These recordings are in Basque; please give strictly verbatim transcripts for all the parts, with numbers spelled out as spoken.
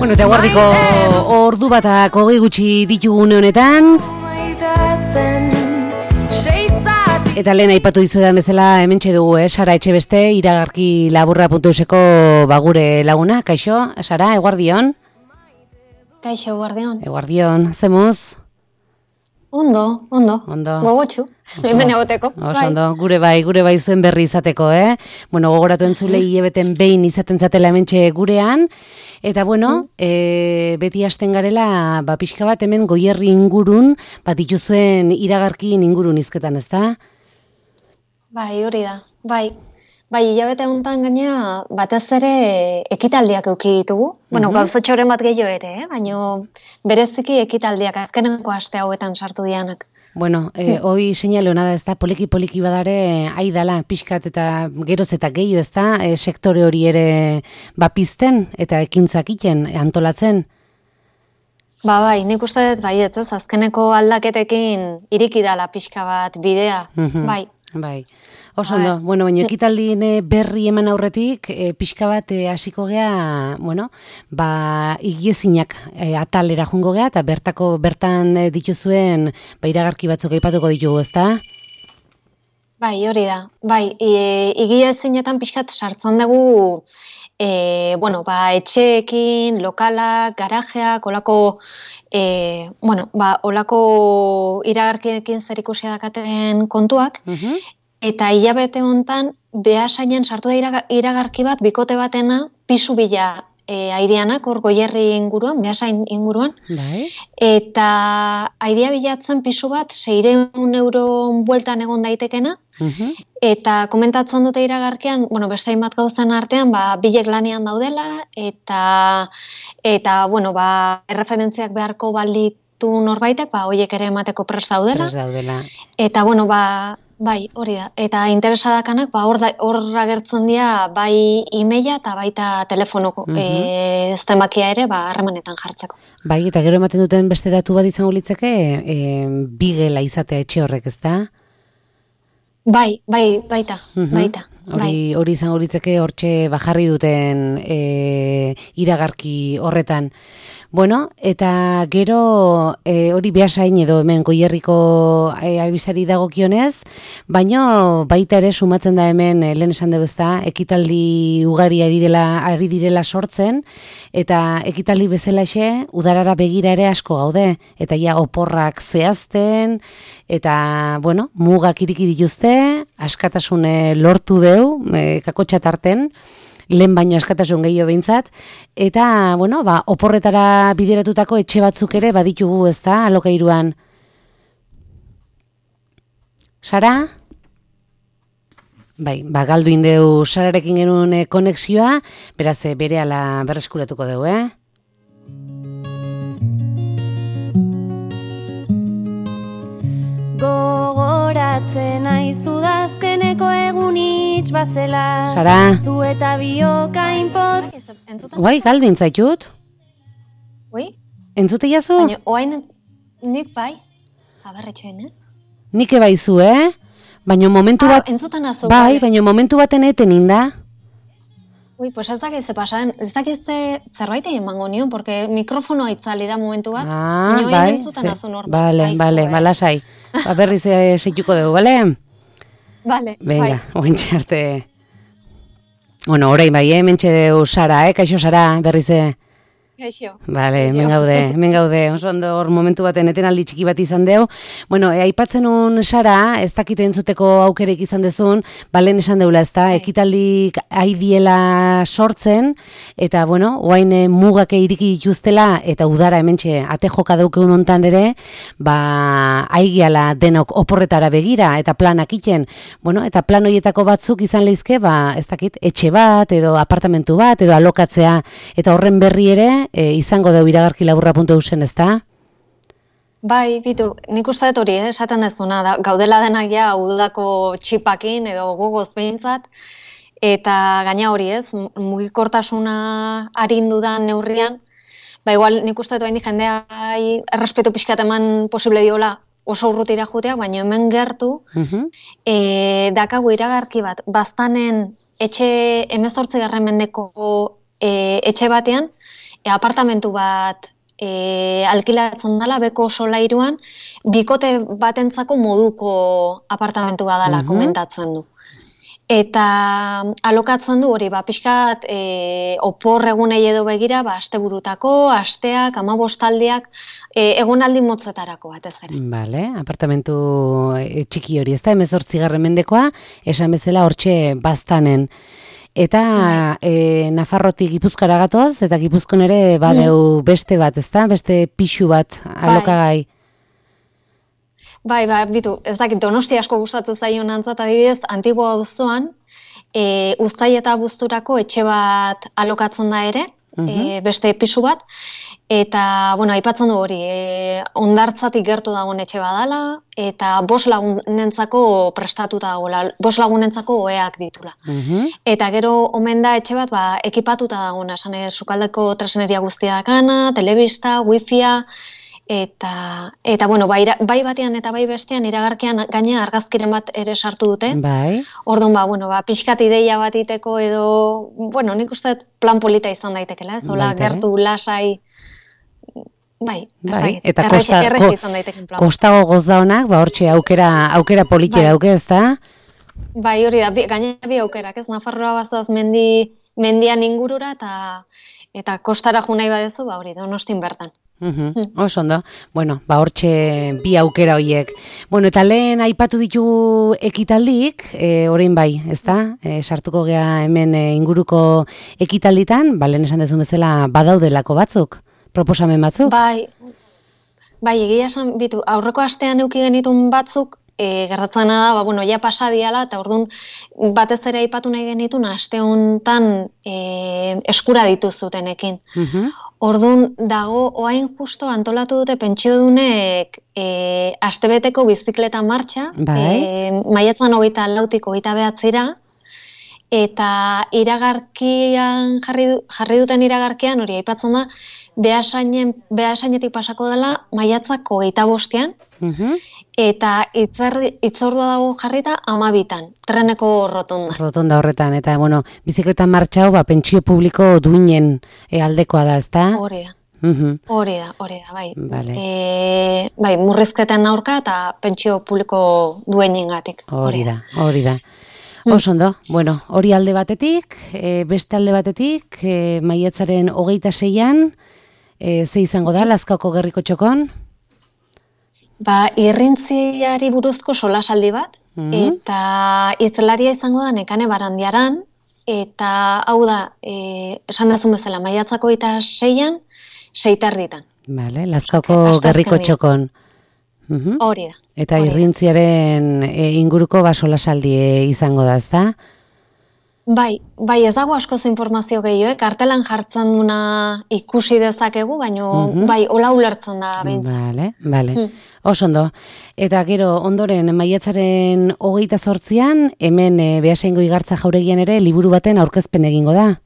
Bueno, eta guardiko ordu batak hogei gutxi ditugune honetan. Eta lehen aipatu dizuetan bezala hementxe dugu, eh? Sara Etxebeste, iragarki laburra puntu euseko bagure laguna. Kaixo, Sara, eguardion? Kaixo, eguardion. Eguardion, zemuz? Ondo, ondo, ondo. Gogotxu, hemen egoteko. Oso ondo, gure bai, gure bai zuen berri izateko, eh? Bueno, gogoratu entzule hilebeten behin izaten zatela hementxe gurean. Eta bueno, e, beti hasten garela, ba, pixka bat hemen Goierri ingurun, bat dituzuen iragarkin ingurun izketan, ezta? Bai, hori da, bai. Bai, hilabete honetan gaina batez ere ekitaldiak eduki ditugu. Bueno, uh-huh. gauzotxoren bat gehiago ere, eh? Baina bereziki ekitaldiak azkenenko aste hauetan sartu dianak. Bueno, eh, hoi seinale hona da, ez da, poliki-poliki badare, aidala, pixkat eta geroz eta gehiago, ez da, e, sektore hori ere bapizten eta ekintzak iten, antolatzen? Ba, bai, nik uste dut, bai, ez, azkeneko aldaketekin iriki dala pixka bat bidea, uh-huh. bai. Bai, oso ondo, bueno, baina ekitaldien berri eman aurretik, e, pixka bat e, hasiko gea, bueno, ba, igiezinak e, atalera jungo gea, eta bertako, bertan e, dituzuen, ba, iragarki batzuk aipatuko ditugu, ezta? Bai, hori da, bai, e, igiezinetan pixkat sartzen dugu, e, bueno, ba, etxeekin, lokalak, garajeak, olako, E, bueno, ba, olako iragarkiekin zer ikusia dakaten kontuak, uh-huh. eta hilabete hontan behasainen sartu da iragarki bat, bikote batena, pisu bila e, aireanak, hor Goierri inguruan, behasain inguruan, Dai. Eta airea bilatzen pisu bat, seiehun euro bueltan egon daitekena, uh-huh. eta komentatzen dute iragarkian, bueno, beste hainbat gauzen artean, ba, bilek lanian daudela, eta eta, bueno, ba, erreferentziak beharko balitu norbaitek, ba, hoiek ere emateko prest daudela. Prest daudela. Eta, bueno, ba, bai, hori da. Eta interesadakanak, ba, hor, hor agertzen dira, bai e-maila eta baita telefonoko, uh-huh. e, zenbakia ere, ba, harremanetan jartzeko. Bai, eta gero ematen duten beste datu bat izango litzeke, e, bigela izatea etxe horrek, ezta? Bai, bai, baita, uh-huh. baita. Hori, hori izango litzeke hortxe bajarri duten e, iragarki horretan. Bueno, eta gero e, hori behasain edo hemen Goierriko e, albizari dagokionez, baino baita ere sumatzen da hemen e, lehen esan dugu ezta, ekitaldi ugari ari dela ari direla sortzen, eta ekitaldi bezalaxe udarara begira ere asko gaude, eta ja oporrak zehazten, eta bueno, mugak iriki dituzte, askatasune lortu deu, e, kakotxa tarten, lehen baino askatasun gehiago behintzat, eta, bueno, ba, oporretara bideratutako etxe batzuk ere baditugu, ez da, alokairuan. Sara? Bai, ba, galdu indeu Sararekin genuen e, konexioa, beraz, e, bere ala berreskuratuko dugu, eh? Gogoratzen aizu dazkeneko egun itx bazela. Sara. Zu eta bioka inpoz. Guai, galdu intzaitut. Ui? Entzute jazu? Baina, oain nik bai, abarretxoen, ez? Nik ebaizu, eh? Baina momentu bat... Ah, entzutan azu. Bai, baina momentu baten eten inda. Ui, pues ez dakiz ze pasaden, ez dakiz ze zerbait egin mango nion, porque mikrofonoa itzali da momentu bat. Ah, bai. Bale, bale, balasai. Ba, berriz seituko dugu, bale? Bale, venga, bai. Ointxe arte. Bueno, orain bai, eh? Mentxe deu Sara, eh? Kaixo Sara, berriz e. Kaixo. Bale, hemen gaude, hemen gaude. Oso ondo hor momentu baten etenaldi txiki bat izan deu. Bueno, e, aipatzen un Sara, ez dakite entzuteko aukerek izan dezun, balen esan deula, ez da, ekitaldik aidiela sortzen, eta, bueno, oain e, mugake iriki dituztela, eta udara hementxe ate joka daukeun hontan ere, ba, aigiala denok oporretara begira, eta planak iten. Bueno, eta plan horietako batzuk izan leizke, ba, ez dakit, etxe bat, edo apartamentu bat, edo alokatzea, eta horren berri ere, E, izango deu iragarki laburra puntu eusen, ez da? Bai, bitu, nik uste dut hori, eh, esaten dezuna, da, gaudela denak ja udako txipakin edo gogoz behintzat, eta gaina hori ez, mugikortasuna arindu da neurrian, ba igual nik uste dut hain jendea errespetu pixkat eman posible diola oso urrutira jutea, baina hemen gertu, uh-huh. e, dakagu iragarki bat, baztanen etxe emezortzi garren mendeko e, etxe batean, e, apartamentu bat e, alkilatzen dela, beko solairuan, bikote batentzako moduko apartamentu bat dela, Mhm. komentatzen du. Eta alokatzen du hori, ba, pixkat e, opor egunei edo begira, ba, asteburutako, asteak, amabostaldiak, e, egonaldi motzetarako batez ere. Vale, apartamentu e, txiki hori, ezta, hemezortzigarren mendekoa, esan bezala hortxe baztanen. Eta e, Nafarrotik Gipuzkoara gatoz, eta Gipuzkoan ere badeu beste bat, ezta, beste pixu bat alokagai. Bai, bai, bitu, ez dakit, Donosti asko gustatu zaion antzat, adibidez, Antigua auzoan, e, Uztai eta Abuzturako etxe bat alokatzen da ere, e, beste pisu bat, eta, bueno, aipatzen du hori, e, hondartzatik gertu dagoen etxe badala, eta bost lagunentzako prestatuta dagoela, bost lagunentzako oheak ditula. Mhm. Eta gero omen da etxe bat, ba, ekipatuta dagoena, esan ere, sukaldeko tresneria guztia dakana, telebista, wifia, eta, eta bueno, bai, bai batean eta bai bestean iragarkian gaina argazkiren bat ere sartu dute. Bai. Orduan, ba, bueno, ba, pixkat ideia bat iteko edo, bueno, nik uste dut plan polita izan daitekela, ez? Hola, Baita ere. gertu, lasai, bai, ez Bai, dakit, eta errez- kosta, errez ko, izan daiteken plan. kostago goz da honak, ba hortxe aukera, aukera politxe Bai. dauke, ezta? Bai, hori da, bi, gainera bi aukerak, ez? Nafarroa bazoaz mendi, mendian ingurura eta eta kostara jo nahi badezu, ba hori, Donostin bertan. Mhm, oso ondo. Bueno, ba hortxe bi aukera hoiek. Bueno, eta lehen aipatu ditugu ekitaldik, e, orain bai, ezta? E, sartuko gea hemen e, inguruko ekitalditan, ba lehen esan dezun bezala badaudelako batzuk, proposamen batzuk. Bai, bai, egia esan, bitu, aurreko astean eduki genitun batzuk, e, gertatzena da, ba, bueno, ja pasa diala, eta orduan batez ere aipatu nahi genitun, aste hontan e, eskura dituzutenekin. Mhm. Orduan dago, oain justo antolatu dute pentsiodunek e, astebeteko bizikleta martxa, Bai. e, maiatzan hogeita lautik hogeita behatzira, eta iragarkian jarri, du- jarri duten iragarkian, hori aipatzen da, Beasainen, Beasainetik pasako dela maiatzak hogeita bostean, Mhm. eta itzerri- itzordua dago jarrita amabitan, treneko rotonda. Rotonda horretan, eta bueno, bizikleta martxa hau, ba, pentsio publiko duinen e, aldekoa da, ezta? Hori da. Mhm. Hori da, hori da, bai. Vale. E, bai, murrizketen aurka eta pentsio publiko duenengatik. Hori da, hori da. Oso ondo, bueno, hori alde batetik, e, beste alde batetik, e, maiatzaren hogeita seian, e, ze izango da, Lazkaoko gerriko txokon? Ba, irrintziari buruzko solasaldi bat, Mhm. eta izelaria izango da Nekane Barandiaran, eta hau da, e, esan dazun bezala, maiatzako eta seian, seitarritan. Vale, Lazkaoko Asteazkenean. gerriko txokon. Mhm. Hori da. Eta hori da. irrintziaren e, inguruko basolasaldi e, izango da, ezta? Bai, bai, ez dago askoz informazio gehiago, eh? Kartelan jartzen duna ikusi dezakegu, baino Mhm. bai, hola ulertzen da behintzat. Vale, vale. Hmm. Oso ondo. Eta gero, ondoren, maiatzaren hogeita zortzian, hemen e, Beasaingo Igartza jauregian ere liburu baten aurkezpen egingo da.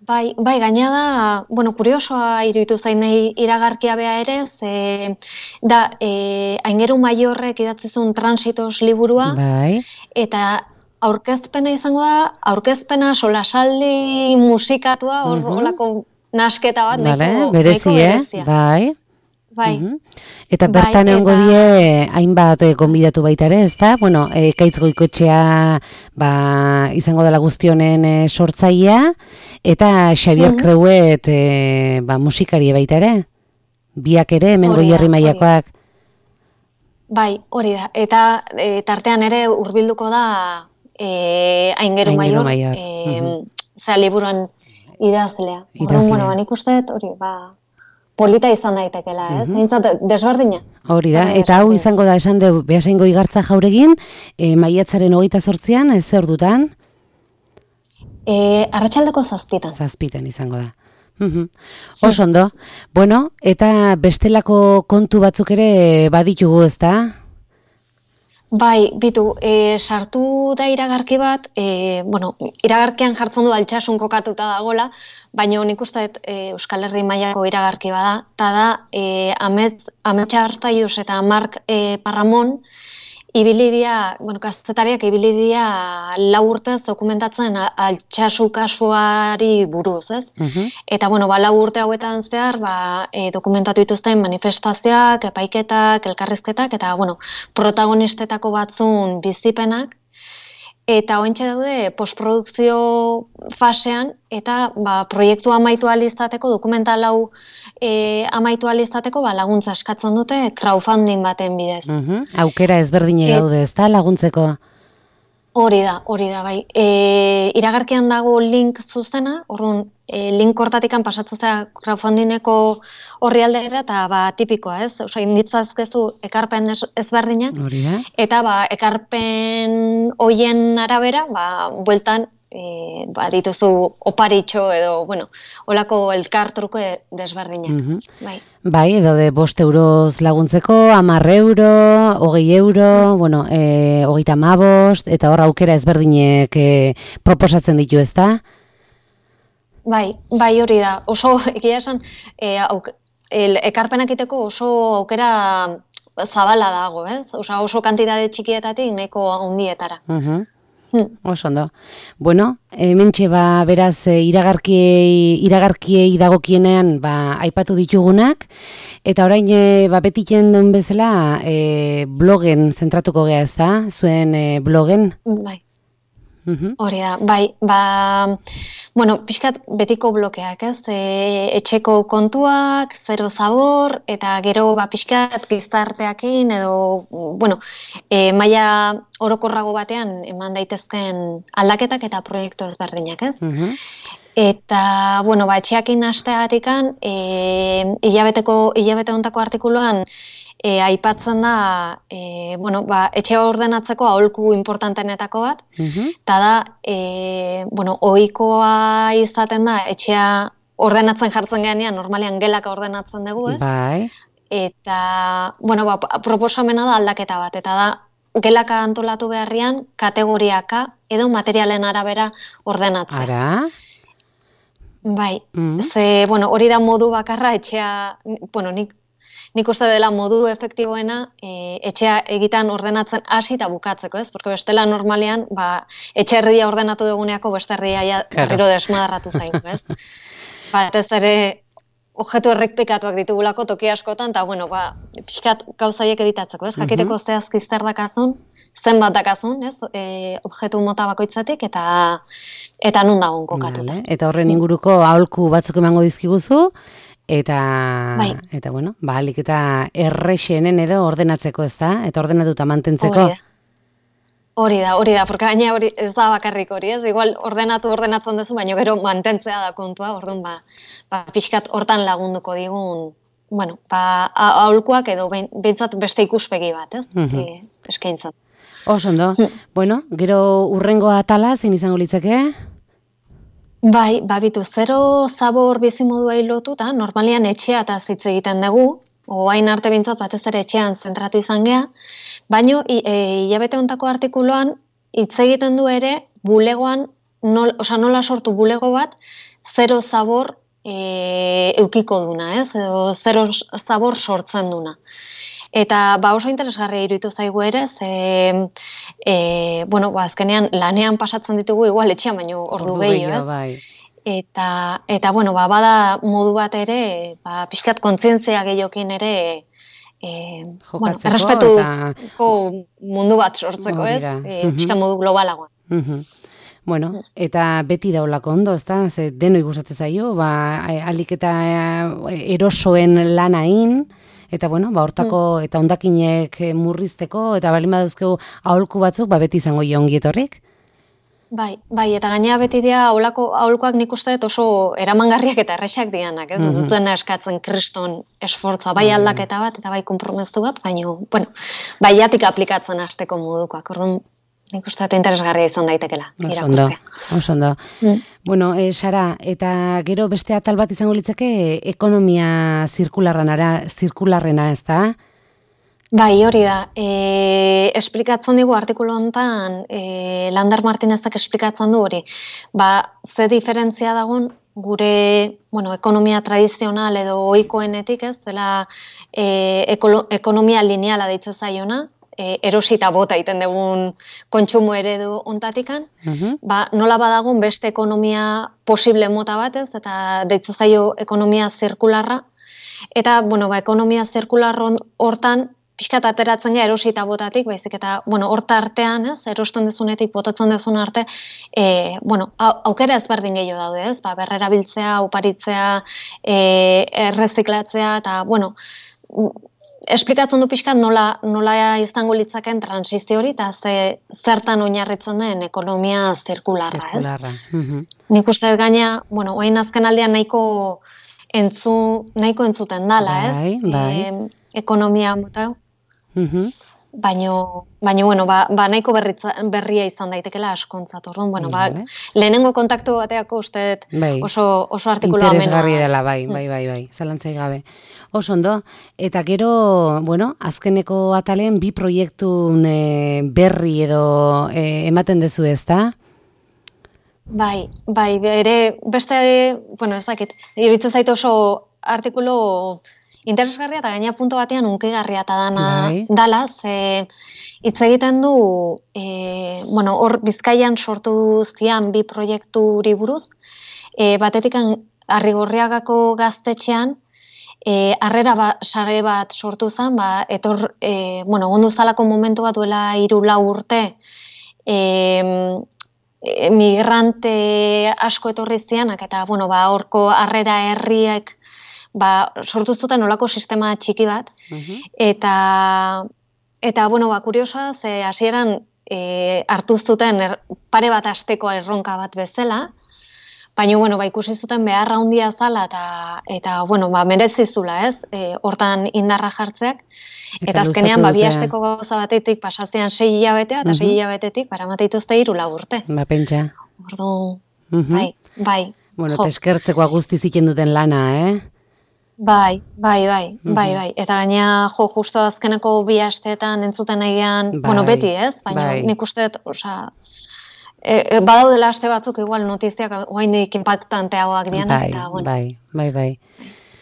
Bai, bai, gaina da, bueno, kuriosoa iruditu zain nahi iragarkia bea ere, ze da, e, Aingeru Maiorrek idatzizun Transitos liburua, Bai. eta aurkezpena izango da, aurkezpena solasaldi musikatua, hor Mhm. holako nasketa bat, Vale, nahiko, berezi, nahiko eh? berezia. Bai. Bai, Mhm. Eta Bai, bertan egongo eta- die hainbat eh, gonbidatu baita ere, ezta? Bueno, e, Kaitz Goikoetxea ba, izango dela guztionen e, sortzailea, eta Xavier Mhm. Creuet e, ba, musikaria baita ere. Biak ere, hemen Hori da, Goierri hori da. mailakoak. bai, hori da. Eta e, tartean ere hurbilduko da e, Aingeru Aingeru Maior, Maior, e, mhm. zera liburuan idazlea. Idazlea. Orduan, bueno, ba, nik uste dut, hori, ba, polita izan daitekela, ez? Mhm. Behintzat, desberdina. Hori da, Bai, eta hau esaten. izango da esan du Beasaingo Igartza jauregin, e, maiatzaren hogeita zortzian, ez zer dutan? E, arratsaldeko zazpitan. Zazpitan izango da. Mhm. Oso ondo. Bueno, eta bestelako kontu batzuk ere baditugu, ezta? Bai, bitu, e, sartu da iragarki bat, e, bueno, iragarkian jartzen du Altsasun kokatuta dagola, baina nik uste dut e, Euskal Herri mailako iragarki bada, eta da e, Amets, Ametsa Artaius eta Mark e, Parramon ibilidia, bueno, kazetariak ibilidia lau urtez dokumentatzen altsasu kasuari buruz, ez? Mhm. Eta, bueno, ba, lau urte hauetan zehar, ba, e, dokumentatu dituzten manifestazioak, epaiketak, elkarrizketak, eta, bueno, protagonistetako batzun bizipenak, eta ointxe daude postprodukzio fasean, eta ba, proiektu amaitu alizateko, dokumental hau e, amaitu alizateko, ba, laguntza eskatzen dute crowdfunding baten bidez. Mhm. Aukera ezberdine Et- daude, ezta laguntzeko? Hori da, hori da, bai. E, iragarkian dago link zuzena, orduan, e, link hortatikan pasatzen zera crowdfundingeko horri aldera, eta ba, tipikoa, ez? Osa, inditzazkezu ekarpen ez, ezberdinak, Hori da? eta ba, ekarpen hoien arabera, ba, bueltan, e, ba, dituzu oparitxo edo, bueno, olako elkartruko desberdinak. Mhm. Bai. Bai, edo de bost euroz laguntzeko, hamar euro, hogei euro, bueno, e, hogeita hamabost, eta hor aukera ezberdinek e, proposatzen ditu, ezta? Bai, bai hori da. Oso, egia esan, e, auk, el, ekarpenak iteko oso aukera zabala dago, ez? Osa, oso kantitate txikietatik nahiko handietara. Mhm. Hmm. Oso ondo. Bueno, hementxe ba, beraz, e, iragarkiei, iragarkiei dagokienean ba, aipatu ditugunak, eta orain e, ba, betiken duen bezala e, blogen zentratuko gea, ez da? Zuen e, blogen? Bai. Mhm. Hori da, bai, ba, bueno, pixkat betiko blokeak, ez? E, etxeko kontuak, zero zabor, eta gero, ba, pixkat gizarteakin, edo, bueno, e, maila orokorrago batean eman daitezken aldaketak eta proiektu ezberdinak, ez? Mhm. Eta, bueno, ba, etxeakin hasteatikan, e, hilabeteko, hilabete hontako artikuluan, E, aipatzen da, e, bueno, ba, etxea ordenatzeko aholku importantenetako bat, Mhm. eta da, e, bueno, ohikoa izaten da, etxea ordenatzen jartzen genean, normalean gelaka ordenatzen dugu, ez? Bai. Eta, bueno, ba, proposamena da aldaketa bat, eta da, gelaka antolatu beharrian, kategoriaka edo materialen arabera ordenatzea. Ara? Bai, Mhm. ze, bueno, hori da modu bakarra etxea, bueno, nik Nik uste dela modu efektiboena e, etxea egitan ordenatzen hasi eta bukatzeko, ez? Porque bestela normalean, ba, etxe herria ordenatu duguneako beste herria ja Claro. berriro desmadarratu zaigu, ez? Batez ere objektu errepikatuak ditugulako toki askotan, eta bueno, ba, pixkat gauzaiek editatzeko, ez? Jakiteko zehazki zer dakazun, zenbat dakazun, ez? E, objektu mota bakoitzatik, eta eta nun dagoen kokatuta. Vale. Eta horren inguruko aholku batzuk emango dizkiguzu, eta, Bai. eta bueno, ba, alik eta errexenen edo ordenatzeko, ez da? Eta ordenatuta mantentzeko. Hori da. Hori da, hori da, porque gaina hori ez da bakarrik hori, ez? Igual ordenatu ordenatzen duzu, baina gero mantentzea da kontua, orduan ba, ba pixkat hortan lagunduko digun, bueno, ba, a- aholkuak edo behin- behintzat beste ikuspegi bat, ez? Mhm. E, eskaintzen. Oso ondo. Mm. Bueno, gero urrengo atala zein izango litzake? Bai, babitu, zero zabor bizimoduai lotuta, normalian etxea eta hitz egiten dugu, oain arte bintzat batez ere etxean zentratu izan gea, baino i- e, hilabete hontako artikuluan hitz egiten du ere bulegoan, nol, osea, nola sortu bulego bat, zero zabor e, eukiko duna, ez? Edo zero zabor sortzen duna. Eta ba oso interesgarria iruditu zaigu ere, ze, e, bueno, ba, azkenean lanean pasatzen ditugu igual etxean, baino ordu gehiago, ez? bai. Eta, eta bueno, ba, bada modu bat ere, ba, pixkat kontzientzia gehiokin ere, e, bueno, Jokatzeko errespetuko mundu bat sortzeko, Hori ez? da. E, Mhm. pixkat modu globalagoan. Mhm. Bueno, eta beti daulako ondo, ezta? Ze denoi gustatzen zaio, ba e, ahalik eta e, erosoen lanain, eta bueno, ba hortako eta hondakinek e, murrizteko eta balin badauzkegu aholku batzuk, ba beti izango jo ongi etorrik. Bai, bai, eta gainera beti dira aholako aholkoak nik uste dut oso eramangarriak eta erresak dianak, ez? Mhm. Dutena eskatzen kriston esfortzua, bai aldaketa bat eta bai konpromezu bat, baina, bueno, bai jatik aplikatzen hasteko modukoak. Orduan, nik uste dut interesgarria izan daitekela. Oso ondo, irakurtzea. oso ondo. Mm. Bueno, e, Sara, eta gero beste atal bat izango litzake ekonomia zirkularrenara, zirkularrena, ezta? Bai, hori da. E, esplikatzen digu artikulu honetan, e, Lander Martinezek esplikatzen du hori. Ba, ze diferentzia dagon gure, bueno, ekonomia tradizional edo ohikoenetik, ez, dela e, ekolo, ekonomia lineala deitzen zaiona, e, erosita bota iten dugun kontsumo eredu ontatikan, Mhm. ba, nola badagun beste ekonomia posible mota batez, eta deitzu zaio ekonomia zirkularra, eta, bueno, ba, ekonomia zirkular hon- hortan, pixkat ateratzen gara erosita botatik, baizik eta, bueno, horta artean, ez, erosten dezunetik, botatzen dezun arte, e, bueno, au- aukera ezberdin gehiago daude, ez, ba, berrerabiltzea, oparitzea, e, erreziklatzea, eta, bueno, m- esplikatzen du pixkat nola, nola izango litzaken transizio hori, eta ze, zertan oinarritzen den ekonomia zirkularra, ez? Zirkularra. Mhm. Nik uste dut gaina, bueno, orain azken aldean nahiko entzu, nahiko entzuten dala, Bai, ez? bai. Em, ekonomia mota hau. Mhm. Baino, baino, bueno, ba, ba nahiko berritza, berria izan daitekela askontzat. Orduan, bueno, ba, Vale. lehenengo kontaktu bateako uste dut Bai. oso, oso artikulua Interesgarri amena. dela, bai, bai, bai, bai, zalantzai gabe. Oso ondo, eta gero, bueno, azkeneko atalen bi proiektun e, berri edo e, ematen dezu ez da? Bai, bai, ere beste, bueno, ez dakit, iruditzen zait oso artikulu interesgarria eta gaina punto batean hunkigarria eta dana Bai. dala, ze hitz egiten du, e, bueno, hor Bizkaian sortu zian bi proiekturi buruz, e, batetik Arrigorriagako gaztetxean, e, harrera ba, sare bat sortu zen, ba, etor, e, bueno, gondu zalako momentu bat duela hiru lau urte, e, migrante asko etorri zianak, eta, bueno, ba, horko harrera herriek, ba, sortu zuten olako sistema txiki bat, Mhm. eta, eta bueno, ba, kuriosoa, ze hasieran e, hartu zuten er, pare bat asteko erronka bat bezala, baina, bueno, ba, ikusi zuten beharra handia zala, eta, eta bueno, ba, merezizula, ez, e, hortan indarra jartzeak, Eta eta azkenean, ba, bi luzatu dute. asteko gauza batetik pasazean sei hilabetea, eta sei Mhm. hilabetetik, paramate dituzte hiru lau urte. Ba, pentsa. Ordu, Mhm. bai, bai. Bueno, Jo. eta eskertzekoa guzti ziken duten lana, eh? Bai, bai, bai, bai, Mhm. bai. Eta gaina, jo, justo azkeneko bi asteetan entzuten egian, Bai, bueno, beti, ez? Baina bai. nik uste dut, osea, e, e, badaudela aste batzuk igual notiziak oraindik impactanteagoak dianak, Bai, eta, bueno. bai, bai, bai.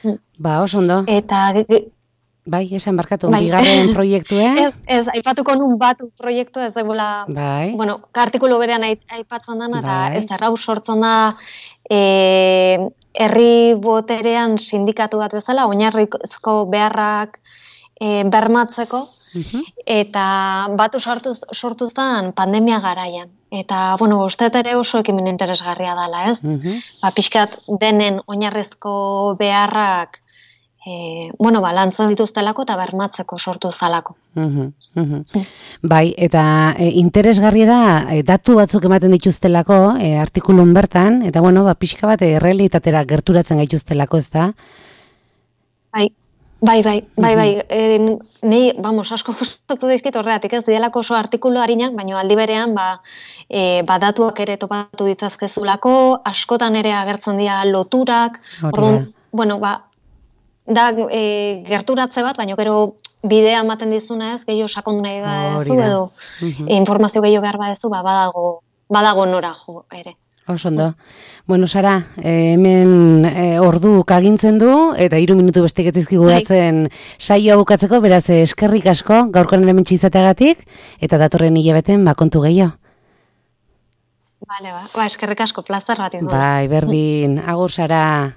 Mm. Ba, oso ondo. Eta, ge- ge- Bai, esan barkatu, bai. bigarren proiektue? ez, ez, aipatuko nun batu proiektu ez dagoela, Bai. bueno, artikulu berean ai- aipatzen dana, eta Bai. ez errau sortzen da, e, herri boterean sindikatu bat bezala, oinarrizko beharrak e, bermatzeko, Mhm. eta batu sortu, sortu zen pandemia garaian. Eta, bueno, uste dut ere oso ekimen interesgarria dela, ez? Mhm. Ba, pixkat denen oinarrizko beharrak, e, bueno, ba, lantzen dituztelako eta bermatzeko sortu zalako. Mhm, mhm. Bai, eta e, interesgarri da e, datu batzuk ematen dituztelako e, artikulun bertan, eta bueno, ba, pixka bat e, errealitatera gerturatzen gaituztelako, ez da? Bai, bai, bai, bai, bai. E, nei, vamos, asko gustatu daizkit horregatik, ez dielako oso artikulu harinak, baina aldi berean, ba, e, ba, datuak ere topatu ditzazkezulako, askotan ere agertzen dira loturak, Hori orduan, da. bueno, ba, da e, gerturatze bat, baina gero bidea ematen dizuna ez, gehiago sakondu nahi Hori badezu, da. edo Mhm. e, informazio gehiago behar badezu, ba, badago, badago nora jo ere. Oso ondo. Bueno, Sara, eh, hemen eh, ordu kagintzen du, eta hiru minutu bestek etzizkigu Bai. datzen saioa bukatzeko, beraz eh, eskerrik asko, gaurkoan hemen izateagatik, eta datorren hilabeten ba, kontu gehiago. Vale, ba, ba, eskerrik asko, plazer bat izan. Bai, berdin, agur Sara.